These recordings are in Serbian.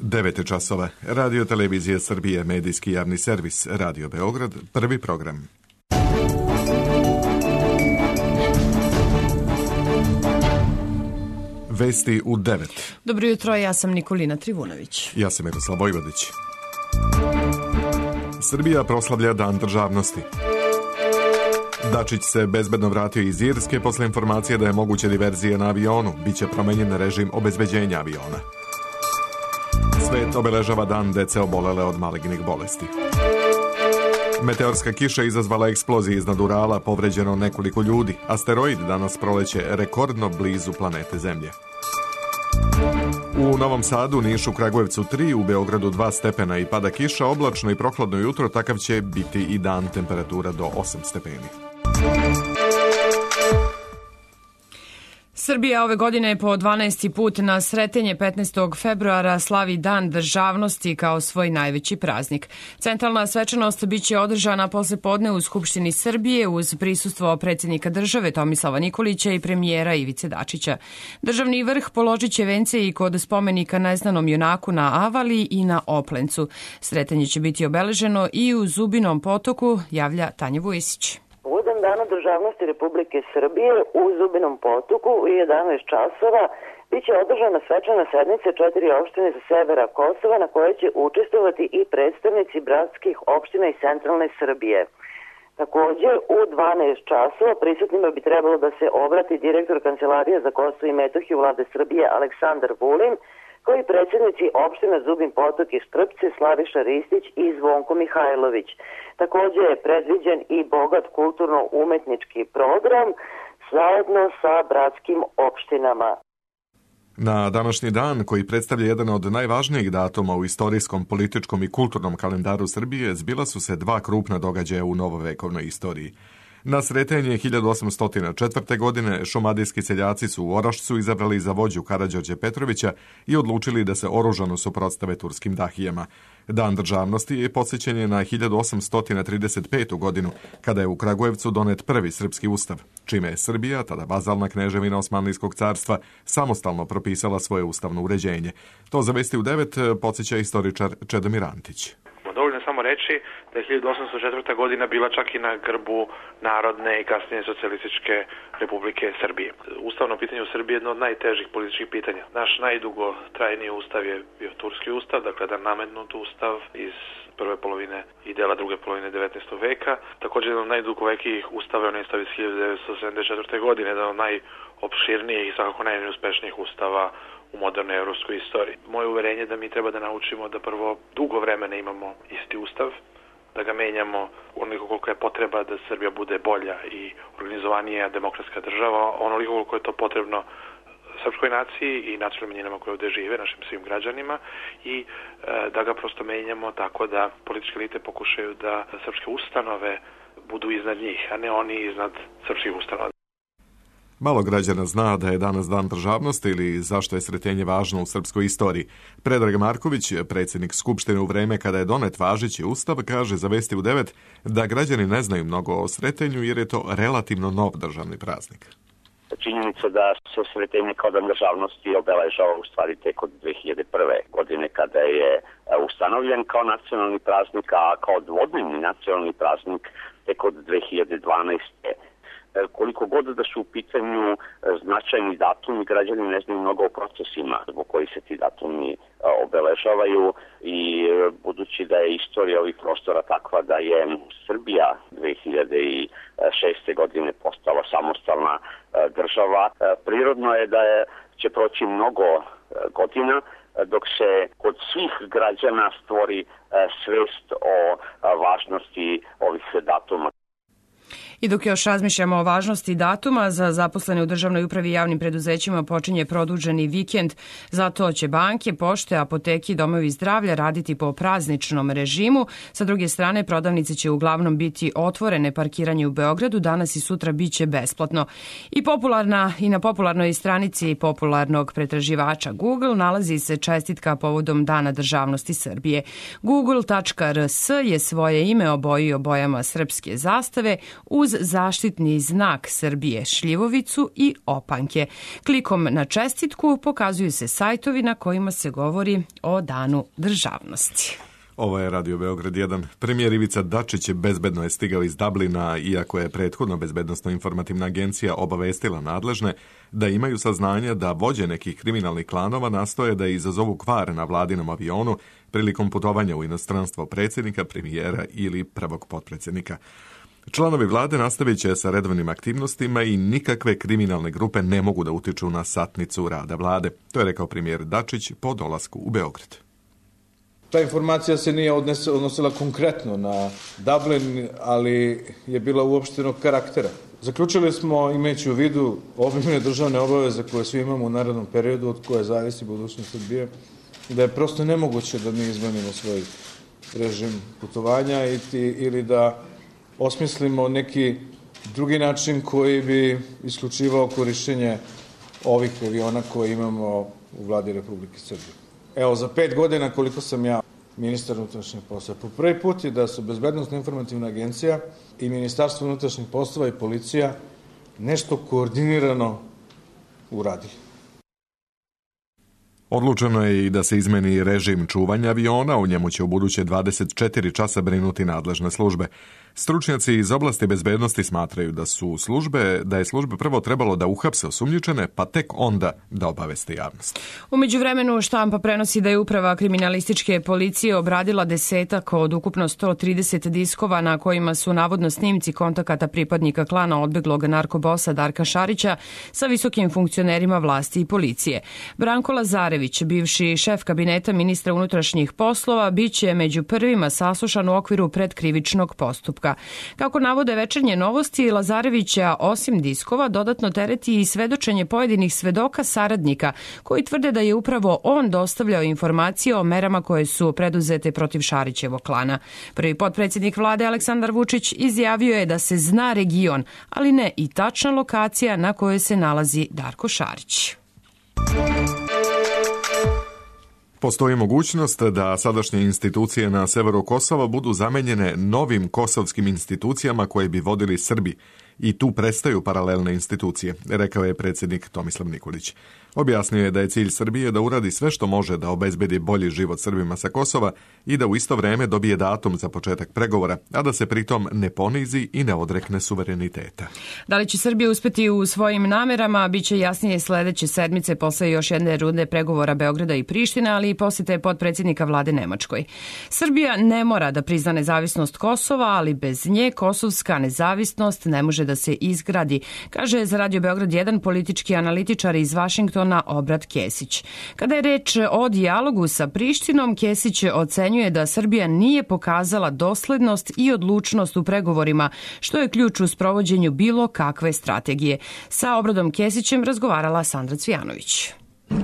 9 časova. Radio Televizija Srbije, medijski javni servis, Radio Beograd, prvi program. Vesti u 9. Dobro jutro, ja sam Nikolina Trivunović. Ja sam Miroslav Vojvodić. Srbija proslavlja Dan državnosti. Dačić se bezbedno vratio iz Irske posle informacije da je moguće diverzije na avionu. Biće promenjen režim obezbeđenja aviona. Svet obeležava dan dece obolele od malignih bolesti. Meteorska kiša izazvala eksplozije iznad Urala, povređeno nekoliko ljudi. Asteroid danas proleće rekordno blizu planete Zemlje. U Novom Sadu, Nišu, Kragujevcu 3, u Beogradu 2 stepena i pada kiša, oblačno i prohladno jutro, takav će biti i dan, temperatura do 8 stepeni. Srbija ove godine po 12. put na Sretenje 15. februara slavi Dan državnosti kao svoj najveći praznik. Centralna svečanost biće održana poslepodne u Skupštini Srbije uz prisustvo predsjednika države Tomislava Nikolića i premijera Ivice Dačića. Državni vrh položit će vence i kod spomenika neznanom junaku na Avali i na Oplencu. Sretenje će biti obeleženo i u Zubinom Potoku, javlja Tanja Vujesić. Povodom Dana državnosti Republike Srbije u Zubinom Potoku u 11 časova biće održana svečana sednica 4 opštine sa severa Kosova na kojoj će učestvovati i predstavnici bratskih opština iz centralne Srbije. Također u 12 časova prisutnima bi trebalo da se obrati direktor Kancelarije za Kosovo i Metohiju Vlade Srbije Aleksandar Vulin, koji predsjednici opština Zubin Potok i Štrpce Slaviša Ristić i Zvonko Mihajlović. Također je predviđen i bogat kulturno-umetnički program zajedno sa bratskim opštinama. Na današnji dan, koji predstavlja jedan od najvažnijih datuma u istorijskom, političkom i kulturnom kalendaru Srbije, zbila su se 2 krupna događaja u novovekovnoj istoriji. Na Sretenje 1804. godine šumadijski seljaci su u Orašcu izabrali za vođu Karađorđa Petrovića i odlučili da se oružano suprotstave turskim dahijama. Dan državnosti je podsjećen na 1835. godinu, kada je u Kragujevcu donet prvi srpski ustav, čime je Srbija, tada vazalna kneževina Osmanlijskog carstva, samostalno propisala svoje ustavno uređenje. To za Vesti u 9 podsjeća istoričar Čedomir Antić. Dovoljno samo reći da je 1804. godina bila čak i na grbu Narodne i kasnije Socijalističke Republike Srbije. Ustavno pitanje u Srbiji je jedno od najtežih političkih pitanja. Naš najdugotrajniji ustav je bio turski ustav, dakle jedan nametnut ustav iz prve polovine i dela druge polovine 19. veka. Također jedan od najdugovekijih ustava je onaj ustav iz 1974. godine, jedan od najopširnijih i svakako najneuspješnijih ustava u modernoj evropskoj istoriji. Moje uverenje je da mi treba da naučimo da prvo dugo vremena imamo isti ustav, da ga menjamo onoliko koliko je potreba da Srbija bude bolja i organizovanija demokratska država, onoliko koliko je to potrebno srpskoj naciji i nacionalnim manjinama koje ovdje žive, našim svim građanima, i da ga prosto menjamo tako da političke elite pokušaju da srpske ustanove budu iznad njih, a ne oni iznad srpskih ustanova. Malo građana zna da je danas Dan državnosti ili zašto je Sretenje važno u srpskoj istoriji. Predrag Marković, predsjednik Skupštine u vreme kada je donet važeći ustav, kaže za Vesti u 9 da građani ne znaju mnogo o Sretenju jer je to relativno nov državni praznik. Činjenica da se Sretenje kao Dan državnosti obeležava u stvari tek od 2001. godine kada je ustanovljen kao nacionalni praznik, a kao dvodnevni nacionalni praznik tek od 2012. Koliko god da su u pitanju značajni datumi, građani ne znaju mnogo o procesima zbog koji se ti datumi obeležavaju i budući da je istorija ovih prostora takva da je Srbija 2006. godine postala samostalna država, prirodno je da će proći mnogo godina dok se kod svih građana stvori svest o važnosti ovih datuma. I dok još razmišljamo o važnosti datuma, za zaposlene u državnoj upravi i javnim preduzećima počinje produženi vikend. Zato će banke, pošte, apoteke i domovi zdravlja raditi po prazničnom režimu. Sa druge strane, prodavnice će uglavnom biti otvorene, parkiranje u Beogradu danas i sutra biće besplatno. I na popularnoj stranici popularnog pretraživača Google nalazi se čestitka povodom Dana državnosti Srbije. Google.rs je svoje ime obojio bojama srpske zastave uz uz zaštitni znak Srbije, šljivovicu i opanke. Klikom na čestitku pokazuju se sajtovi na kojima se govori o Danu državnosti. Ovo je Radio Beograd 1. Premijer Ivica Dačić bezbedno je stigao iz Dublina, iako je prethodno Bezbednosno-informativna agencija obavestila nadležne da imaju saznanja da vođe nekih kriminalnih klanova nastoje da izazovu kvar na vladinom avionu prilikom putovanja u inostranstvo predsjednika, premijera ili prvog potpredsjednika. Članovi vlade nastavit će sa redovnim aktivnostima i nikakve kriminalne grupe ne mogu da utiču na satnicu rada vlade. To je rekao premijer Dačić po dolasku u Beograd. Ta informacija se nije odnosila konkretno na Dublin, ali je bila uopštenog karaktera. Zaključili smo, imajući u vidu obimne državne obaveze koje svi imamo u narednom periodu, od koje zavisi budućnost Srbije, da je prosto nemoguće da mi izmenimo svoj režim putovanja ili da osmislimo neki drugi način koji bi isključivao korišćenje ovih aviona koje imamo u vladi Republike Srbije. Evo, za 5 godina koliko sam ja ministar unutrašnjih poslova, po prvi put je da su Bezbednosno-informativna agencija i Ministarstvo unutrašnjih poslova i policija nešto koordinirano uradili. Odlučeno je i da se izmeni režim čuvanja aviona, u njemu će u buduće 24 časa brinuti nadležne službe. Stručnjaci iz oblasti bezbednosti smatraju da je službe prvo trebalo da uhapse osumnjičene, pa tek onda da obaveste javnost. U međuvremenu štampa prenosi da je uprava kriminalističke policije obradila 10 od ukupno 130 diskova na kojima su navodno snimci kontakata pripadnika klana odbeglog narkobosa Darka Šarića sa visokim funkcionerima vlasti i policije. Branko Lazarević, bivši šef kabineta ministra unutrašnjih poslova, biće među prvima saslušan u okviru predkrivičnog postupka. Kako navode Večernje novosti, Lazarevića osim diskova dodatno tereti i svedočenje pojedinih svedoka saradnika koji tvrde da je upravo on dostavljao informacije o merama koje su preduzete protiv Šarićevog klana. Prvi potpredsjednik vlade Aleksandar Vučić izjavio je da se zna region, ali ne i tačna lokacija na kojoj se nalazi Darko Šarić. Postoji mogućnost da sadašnje institucije na severu Kosova budu zamenjene novim kosovskim institucijama koje bi vodili Srbi i tu prestaju paralelne institucije, rekao je predsjednik Tomislav Nikolić. Objasnio je da je cilj Srbije da uradi sve što može da obezbedi bolji život Srbima sa Kosova i da u isto vreme dobije datum za početak pregovora, a da se pritom ne ponizi i ne odrekne suvereniteta. Da li će Srbija uspeti u svojim namerama, bit će jasnije sledeće sedmice posle još jedne runde pregovora Beograda i Prištine, ali i posete potpredsjednika vlade Nemačkoj. Srbija ne mora da prizna nezavisnost Kosova, ali bez nje kosovska nezavisnost ne može da se izgradi, kaže za Radio Beograd 1 politički analitičar iz Vašingtona Obrat Kesić. Kada je reč o dijalogu sa Prištinom, Kesić ocenjuje da Srbija nije pokazala doslednost i odlučnost u pregovorima, što je ključ u sprovođenju bilo kakve strategije. Sa Obradom Kesićem razgovarala Sandra Cvijanović.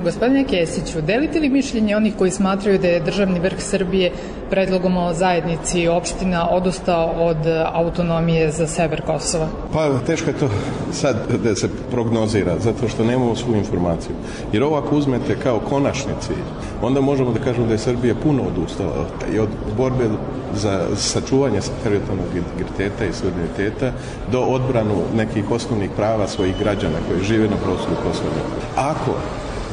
Gospodine Kesiću, delite li mišljenje onih koji smatraju da je državni vrh Srbije predlogom o zajednici opština odustao od autonomije za sever Kosova? Pa teško je to sad da se prognozira, zato što nemamo svu informaciju. Jer ovo ako uzmete kao konačni cilj, onda možemo da kažemo da je Srbija puno odustala i od borbe za sačuvanje teritorijalnog integriteta i suvereniteta do odbranu nekih osnovnih prava svojih građana koji žive na prostoru Kosova. Ako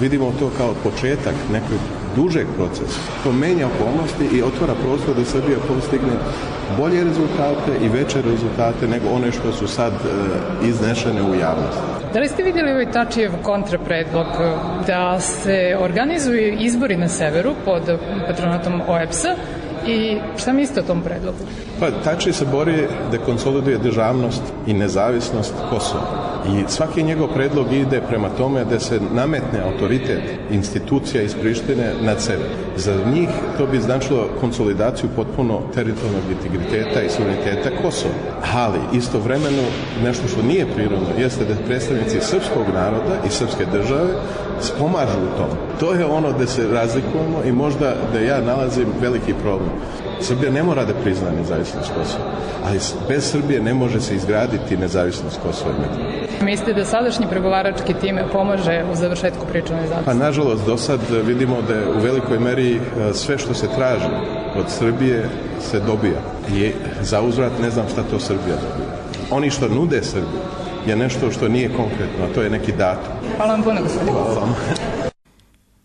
vidimo to kao početak nekog dužeg procesa, to menja okolnosti i otvara prostor da Srbija postigne bolje rezultate i veće rezultate nego one što su sad iznešene u javnosti. Da li ste vidjeli ovaj Tačijev kontrapredlog da se organizuju izbori na severu pod patronatom OEBS-a i šta mislite o tom predlogu? Pa Tači se bori da konsoliduje državnost i nezavisnost Kosova. I svaki njegov predlog ide prema tome da se nametne autoritet institucija iz Prištine nad sever. Za njih to bi značilo konsolidaciju potpuno teritorijalnog integriteta i suvereniteta Kosova. Ali istovremeno nešto što nije prirodno jeste da predstavnici srpskog naroda i srpske države pomažu u tom. To je ono da se razlikujemo i možda da ja nalazim veliki problem. Srbija ne mora da prizna nezavisnost Kosova, ali bez Srbije ne može se izgraditi nezavisnost Kosova i Metohije. Mislite da sadašnji pregovarački tim pomaže u završetku priče o nezavisnosti? Pa nažalost, do sad vidimo da je u velikoj meri sve što se traži od Srbije se dobija. I za uzvrat ne znam šta to Srbija dobija. Oni što nude Srbiji je nešto što nije konkretno, a to je neki datum. Hvala vam puno, gospodine. Hvala vam.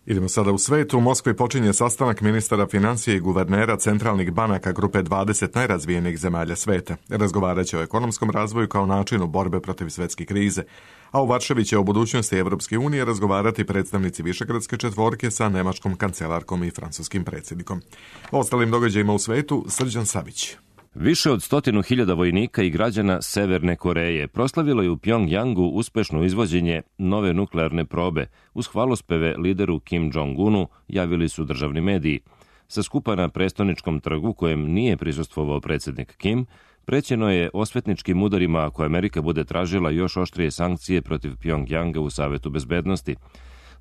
Idemo sada u svet. U Moskvi počinje sastanak ministara financije i guvernera centralnih banaka grupe 20 najrazvijenijih zemalja sveta. Razgovarat će o ekonomskom razvoju kao načinu borbe protiv svetske krize. A u Varšavi će o budućnosti Evropske unije razgovarati predstavnici Višegradske četvorke sa nemačkom kancelarkom i francuskim predsjednikom. O ostalim događajima u svetu Srđan Savić. Više od 100.000 vojnika i građana Severne Koreje proslavilo je u Pjongjangu uspešno izvođenje nove nuklearne probe. Uz hvalospeve lideru Kim Jong-unu javili su državni mediji. Sa skupa na prestoničkom trgu, kojem nije prisustvovao predsjednik Kim, prećeno je osvetničkim udarima ako Amerika bude tražila još oštrije sankcije protiv Pjongjanga u Savetu bezbednosti.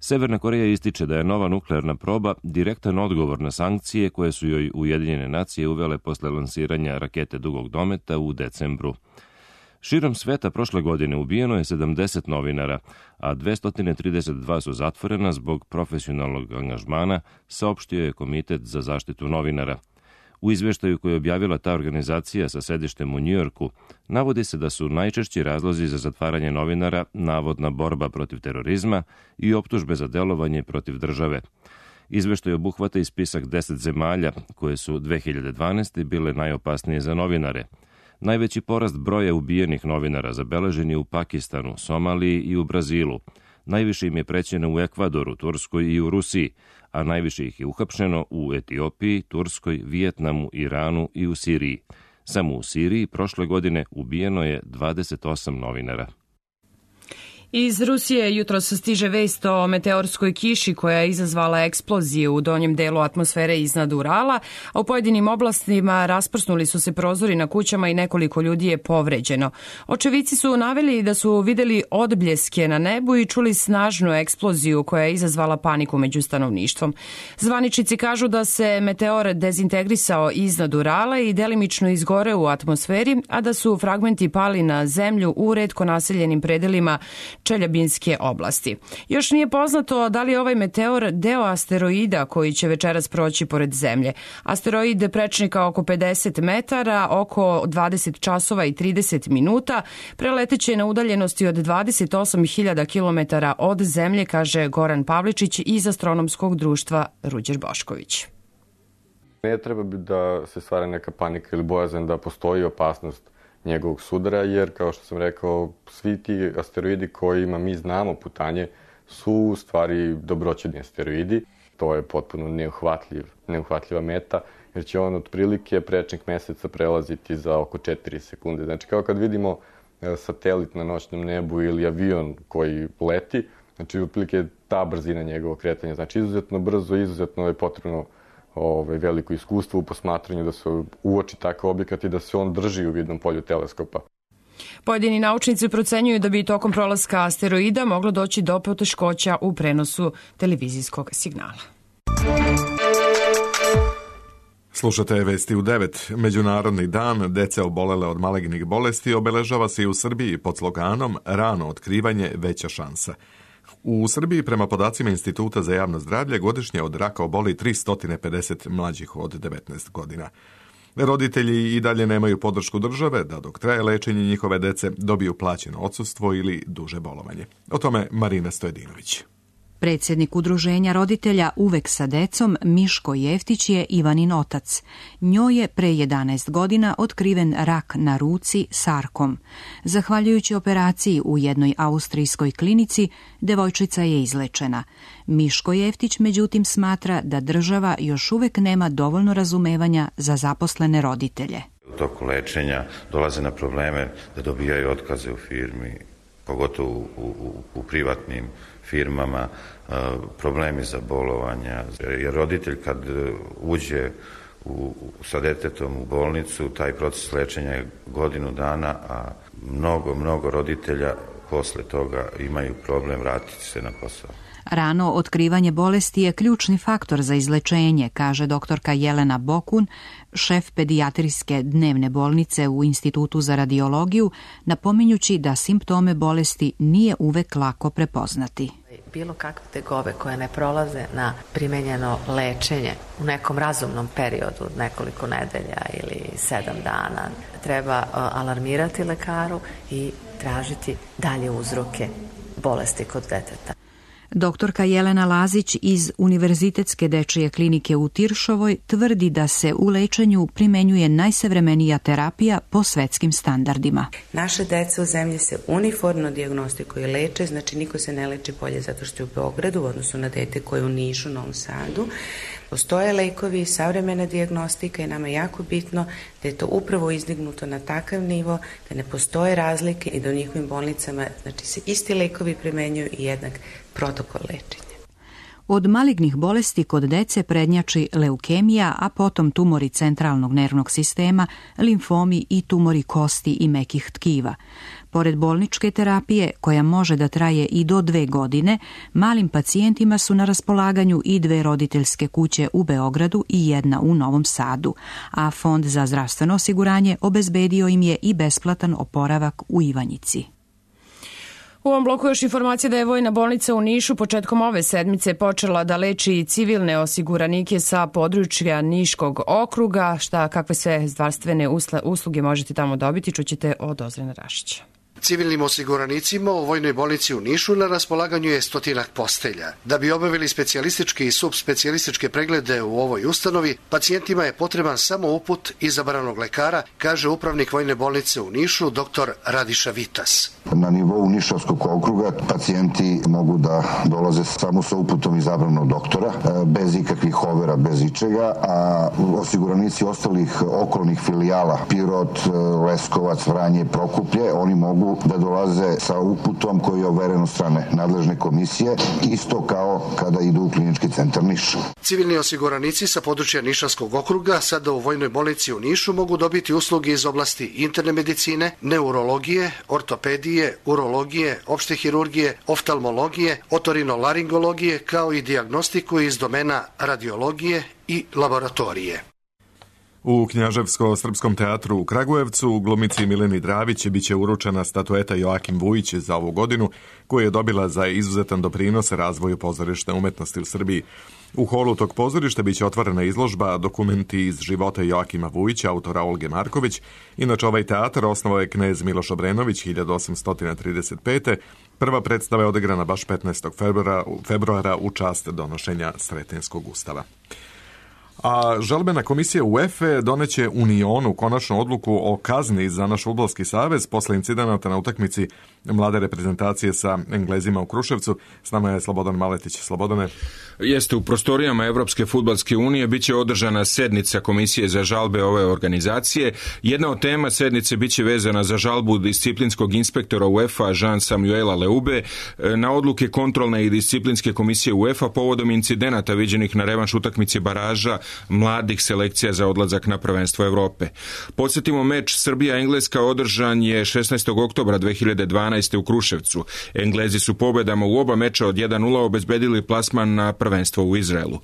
Severna Koreja ističe da je nova nuklearna proba direktan odgovor na sankcije koje su joj Ujedinjene nacije uvele posle lansiranja rakete dugog dometa u decembru. Širom sveta prošle godine ubijeno je 70 novinara, a 232 su zatvorena zbog profesionalnog angažmana, saopštio je Komitet za zaštitu novinara. U izveštaju koji je objavila ta organizacija sa sedištem u Njujorku, navodi se da su najčešći razlozi za zatvaranje novinara navodna borba protiv terorizma i optužbe za delovanje protiv države. Izveštaj obuhvata i spisak 10 zemalja koje su 2012. bile najopasnije za novinare. Najveći porast broja ubijenih novinara zabeležen je u Pakistanu, Somaliji i u Brazilu. Najviše im je prećeno u Ekvadoru, Turskoj i u Rusiji, a najviše ih je uhapšeno u Etiopiji, Turskoj, Vijetnamu, Iranu i u Siriji. Samo u Siriji prošle godine ubijeno je 28 novinara. Iz Rusije jutros stiže vest o meteorskoj kiši koja je izazvala eksplozije u donjem delu atmosfere iznad Urala, a u pojedinim oblastima rasprsnuli su se prozori na kućama i nekoliko ljudi je povređeno. Očevici su naveli da su videli odbljeske na nebu i čuli snažnu eksploziju koja je izazvala paniku među stanovništvom. Zvaničnici kažu da se meteor dezintegrisao iznad Urala i delimično izgoreo u atmosferi, a da su fragmenti pali na zemlju u retko naseljenim predelima Čeljabinske oblasti. Još nije poznato da li je ovaj meteor deo asteroida koji će večeras proći pored Zemlje. Asteroid prečnika oko 50 metara, oko 20 časova i 30 minuta, preleteće na udaljenosti od 28.000 km od Zemlje, kaže Goran Pavličić iz Astronomskog društva Ruđer Bošković. Ne treba da se stvara neka panika ili bojazan da postoji opasnost njegovog sudara, jer, kao što sam rekao, svi ti asteroidi kojima mi znamo putanje su u stvari dobroćudni asteroidi. To je potpuno neuhvatljiva meta, jer će on otprilike prečnik meseca prelaziti za oko 4 sekunde. Znači, kao kad vidimo satelit na noćnom nebu ili avion koji leti, znači, otprilike ta brzina njegovog kretanja. Znači, izuzetno brzo, izuzetno je potrebno veliko iskustvo u posmatranju da se uoči takav objekat i da se on drži u vidnom polju teleskopa. Pojedini naučnici procenjuju da bi tokom prolaska asteroida moglo doći do poteškoća u prenosu televizijskog signala. Slušate vesti u 9. Međunarodni dan dece obolele od malignih bolesti obeležava se i u Srbiji pod sloganom Rano otkrivanje, veća šansa. U Srbiji, prema podacima Instituta za javno zdravlje, godišnje od raka oboli 350 mlađih od 19 godina. Roditelji i dalje nemaju podršku države da dok traje lečenje njihove dece dobiju plaćeno odsustvo ili duže bolovanje. O tome Marina Stojedinović. Predsjednik udruženja roditelja Uvek sa decom, Miško Jeftić, je Ivanin otac. Njoj je pre 11 godina otkriven rak na ruci sarkom. Zahvaljujući operaciji u jednoj austrijskoj klinici, devojčica je izlečena. Miško Jeftić, međutim, smatra da država još uvek nema dovoljno razumevanja za zaposlene roditelje. U toku lečenja dolaze na probleme da dobijaju otkaze u firmi, pogotovo u privatnim firmama, problemi za bolovanja. Jer roditelj kad uđe sa detetom u bolnicu, taj proces lečenja je godinu dana, a mnogo roditelja posle toga imaju problem vratiti se na posao. Rano otkrivanje bolesti je ključni faktor za izlečenje, kaže doktorka Jelena Bokun, šef pedijatrijske dnevne bolnice u Institutu za radiologiju, napominjući da simptome bolesti nije uvek lako prepoznati. Bilo kakve tegobe koje ne prolaze na primenjeno lečenje u nekom razumnom periodu, nekoliko nedelja ili 7 dana, treba alarmirati lekaru i tražiti dalje uzroke bolesti kod deteta. Doktorka Jelena Lazić iz Univerzitetske dečije klinike u Tiršovoj tvrdi da se u lečenju primenjuje najsavremenija terapija po svetskim standardima. Naše deca u zemlji se uniformno dijagnostikuje i leče, znači niko se ne leči bolje zato što je u Beogradu u odnosu na dete koje je u Nišu, Novom Sadu. Postoje lekovi, savremena dijagnostika i nama je jako bitno da je to upravo izdignuto na takav nivo, da ne postoje razlike i da u njihovim bolnicama znači, se isti lekovi primenjuju i jednak protokol lečenja. Od malignih bolesti kod dece prednjači leukemija, a potom tumori centralnog nervnog sistema, limfomi i tumori kosti i mekih tkiva. Pored bolničke terapije, koja može da traje i do 2 godine, malim pacijentima su na raspolaganju i 2 roditeljske kuće u Beogradu i 1 u Novom Sadu, a Fond za zdravstveno osiguranje obezbedio im je i besplatan oporavak u Ivanjici. U ovom bloku još informacija da je Vojna bolnica u Nišu početkom ove sedmice počela da leči civilne osiguranike sa područja Niškog okruga. Kakve sve zdravstvene usluge možete tamo dobiti, čućete od Ozrena Rašića. Civilnim osiguranicima u Vojnoj bolnici u Nišu na raspolaganju je 100 postelja. Da bi obavili specijalističke i subspecijalističke preglede u ovoj ustanovi, pacijentima je potreban samo uput izabranog lekara, kaže upravnik Vojne bolnice u Nišu, dr. Radiša Vitas. Na nivou Nišavskog okruga pacijenti mogu da dolaze samo sa uputom izabranog doktora, bez ikakvih overa, bez ičega, a osiguranici ostalih okolnih filijala, Pirot, Leskovac, Vranje, Prokuplje, oni mogu da dolaze sa uputom koji je overen od strane nadležne komisije, isto kao kada idu u klinički centar Niš. Civilni osiguranici sa područja Nišavskog okruga sada u Vojnoj bolnici u Nišu mogu dobiti usluge iz oblasti interne medicine, neurologije, ortopedije, urologije, opšte hirurgije, oftalmologije, otorinolaringologije, kao i dijagnostiku iz domena radiologije i laboratorije. U Knjaževsko-srpskom teatru u Kragujevcu glumici Mileni Dravić biće uručena statueta Joakim Vujić za ovu godinu, koju je dobila za izuzetan doprinos razvoju pozorišne umetnosti u Srbiji. U holu tog pozorišta biće otvorena izložba Dokumenti iz života Joakima Vujića, autora Olge Marković. Inače, ovaj teatar osnovao je knez Miloš Obrenović 1835. Prva predstava je odigrana baš 15. februara u čast donošenja Sretenskog ustava. A žalbena komisija UEFA doneće Unionu konačnu odluku o kazni za naš fudbalski savez posle incidenata na utakmici mlade reprezentacije sa Englezima u Kruševcu. S nama je Slobodan Maletić. Slobodane. Jeste, u prostorijama Evropske fudbalske unije biće održana sednica Komisije za žalbe ove organizacije. Jedna od tema sednice biće vezana za žalbu disciplinskog inspektora UEFA Jean-Samuela Leube na odluke kontrolne i disciplinske komisije UEFA povodom incidenata viđenih na revanš utakmici baraža mladih selekcija za odlazak na prvenstvo Evrope. Podsjetimo, meč Srbija-Engleska održan je 16. oktobra 2012. u Kruševcu. Englezi su pobedama u oba meča od 1-0 obezbedili plasman na prvenstvo u Izraelu.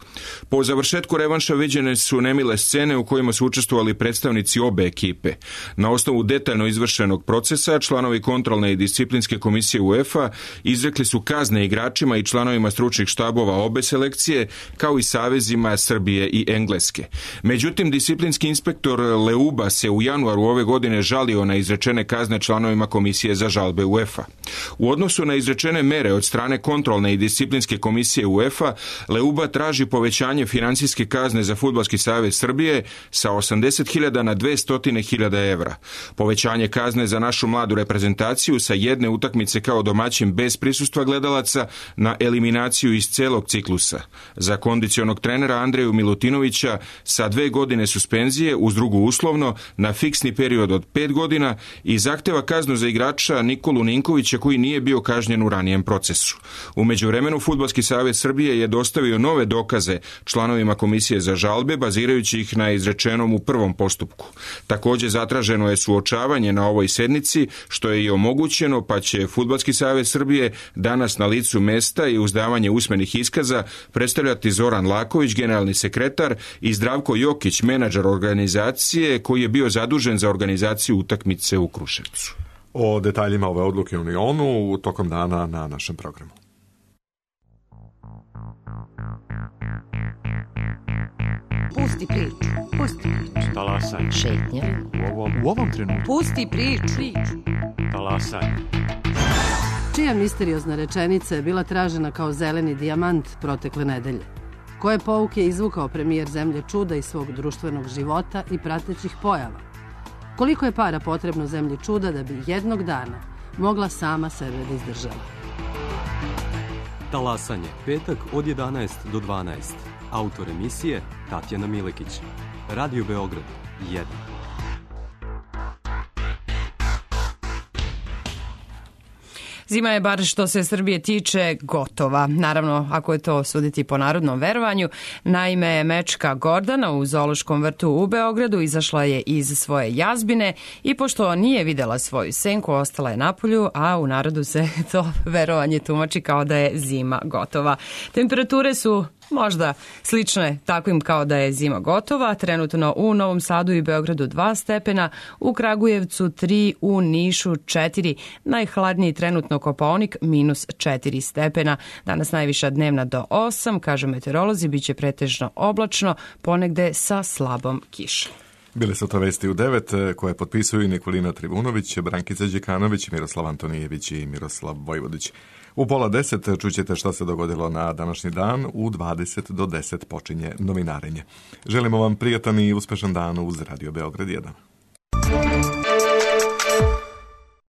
Po završetku revanša viđene su nemile scene u kojima su učestvovali predstavnici obe ekipe. Na osnovu detaljno izvršenog procesa, članovi kontrolne i disciplinske komisije UEFA izrekli su kazne igračima i članovima stručnih štabova obe selekcije, kao i savezima Srbije i Engleske. Međutim, disciplinski inspektor Leuba se u januaru ove godine žalio na izrečene kazne članovima komisije za žalbe UEFA. U odnosu na izrečene mere od strane kontrolne i disciplinske komisije UEFA, Leuba traži povećanje financijske kazne za Fudbalski savez Srbije sa 80.000 na 200.000 evra. Povećanje kazne za našu mladu reprezentaciju sa jedne utakmice kao domaćin bez prisustva gledalaca na eliminaciju iz celog ciklusa. Za kondicionog trenera Andreju Milutinovića sa 2 godine suspenzije uz drugu uslovno na fiksni period od 5 godina i zahteva kaznu za igrača Nikolu Ninkovića koji nije bio kažnjen u ranijem procesu. U međuvremenu Fudbalski savez Srbije je dostavio nove dokaze članovima Komisije za žalbe, bazirajući ih na izrečenom u prvom postupku. Također zatraženo je suočavanje na ovoj sednici, što je i omogućeno, pa će Fudbalski savez Srbije danas na licu mesta i uz davanje usmenih iskaza predstavljati Zoran Laković, generalni sekretar, i Zdravko Jokić, menadžer organizacije koji je bio zadužen za organizaciju utakmice u Kruševcu. O detaljima ove odluke u Unionu tokom dana na našem programu. Pusti priču, pusti priču. Talasaj. Šetnja. U ovom trenutku. Pusti priču. Talasaj. Čija misteriozna rečenica je bila tražena kao zeleni dijamant protekle nedelje? Koje pouke je izvukao premijer Zemlje čuda iz svog društvenog života i pratećih pojava? Koliko je para potrebno Zemlji čuda da bi jednog dana mogla sama sebe da izdržava? Talasanje, petak od 11 do 12. Autor emisije Tatjana Milekić. Radio Beograd 1. Zima je, bar što se Srbije tiče, gotova. Naravno, ako je to suditi po narodnom verovanju. Naime, mečka Gordana u Zoološkom vrtu u Beogradu izašla je iz svoje jazbine i pošto nije videla svoju senku, ostala je napolju, a u narodu se to verovanje tumači kao da je zima gotova. Temperature su možda slične takvim kao da je zima gotova. Trenutno u Novom Sadu i Beogradu 2 stepena, u Kragujevcu 3, u Nišu 4, najhladniji trenutno Kopaonik -4 stepena. Danas najviša dnevna do 8, kažu meteorolozi, biće pretežno oblačno, ponegde sa slabom kišom. Bile su to vesti u 9 koje potpisuju Nikolina Trivunović, Brankica Đekanović, Miroslav Antonijević i Miroslav Vojvodić. U 9:30 čućete šta se dogodilo na današnji dan, u 20 do 10 počinje novinarenje. Želimo vam prijatan i uspešan dan uz Radio Beograd 1.